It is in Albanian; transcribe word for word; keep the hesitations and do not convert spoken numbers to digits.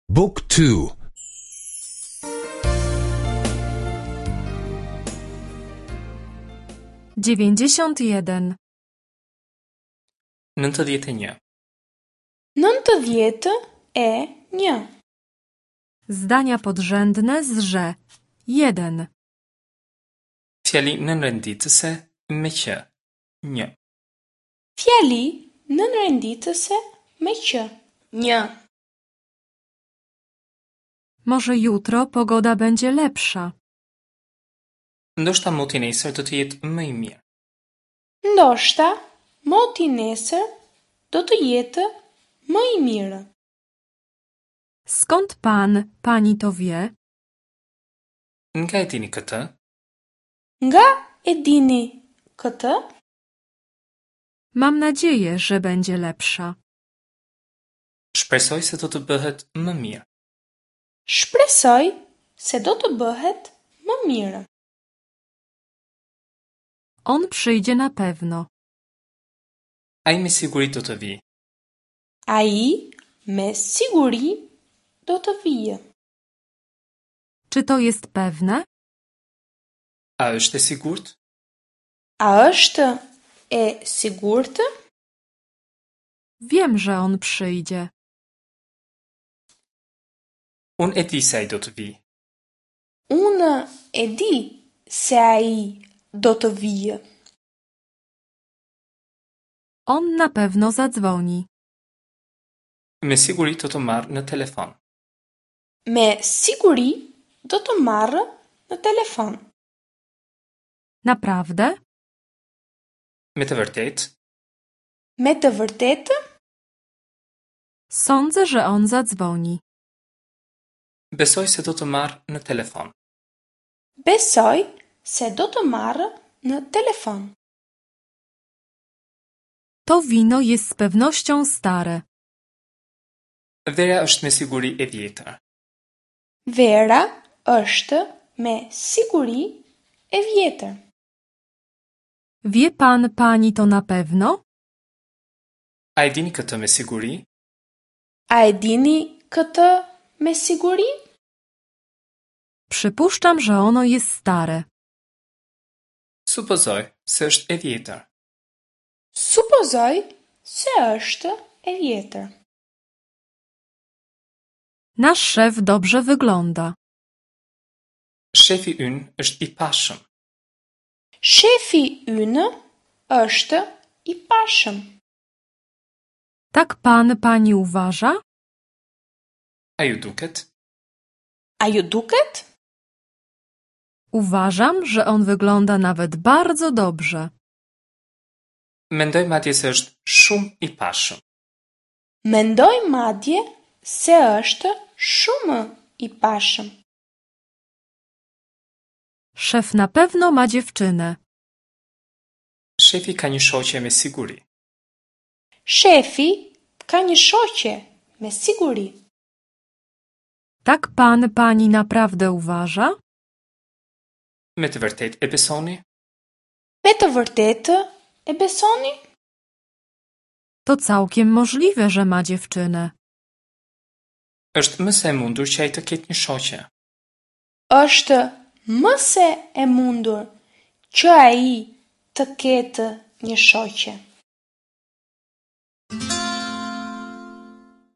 Book two. Dziewięćdziesiąt jeden. Nëntëdhjetë e një. Nëntëdhjetë e një. Zdania podrzędne z że. Jeden. Fjali nënrenditëse me që. Një. Fjali nënrenditëse me që. Një. Może jutro pogoda będzie lepsza. Ndoshta moti nesër do të jetë më i mirë. Ndoshta moti nesër do të jetë më i mirë. Skąd pan, pani to wie? Nga e dini këtë? Nga e dini këtë? Mam nadzieję, że będzie lepsza. Shpresoj se do të bëhet më mirë. Shpresoj se do të bëhet më mirë. On przyjdzie na pewno. Ai me siguri do të vijë. Ai me siguri do të vijë. Czy to jest pewne? A është e sigurt? A është e sigurt? Wiem, że on przyjdzie. Unë e di se ai do të vijë. Unë e di se ai do të vijë. On na pewno zadzwoni. Me siguri do të marrë në telefon. Me siguri do të marrë në telefon. Naprawdę? Me të vërtetë? Me të vërtetë? Sądzę, że on zadzwoni. Besoj se do të marrë në telefon. Besoj se do të marrë në telefon. To wino jest z pewnością stare. Vera është me siguri e vjetër. Vera është me siguri e vjetër. Wie pan, pani to na pewno? A e dini këtë me siguri? A e dini këtë me siguri? Przypuszczam, że ono jest stare. Supozoj se është e vjetër. Supozoj se është e vjetër. Nasz szef dobrze wygląda. Shefi ynë është i pashëm. Shefi ynë është i pashëm. Tak pan, pani uważa? A ju duket? A ju duket? Uważam, że on wygląda nawet bardzo dobrze. Mendoj madje se është shumë i pashëm. Mendoj madje se është shumë i pashëm. Szef na pewno ma dziewczynę. Shefi ka një shoqe me siguri. Shefi ka një shoqe me siguri. Tak pan, pani naprawdę uważa? Me të vërtetë e besoni? Me të vërtetë e besoni? To całkiem możliwe, że ma dziewczynę. Është më se e mundur që ai të ketë një shoqe. Është më se e mundur që ai të ketë një shoqe.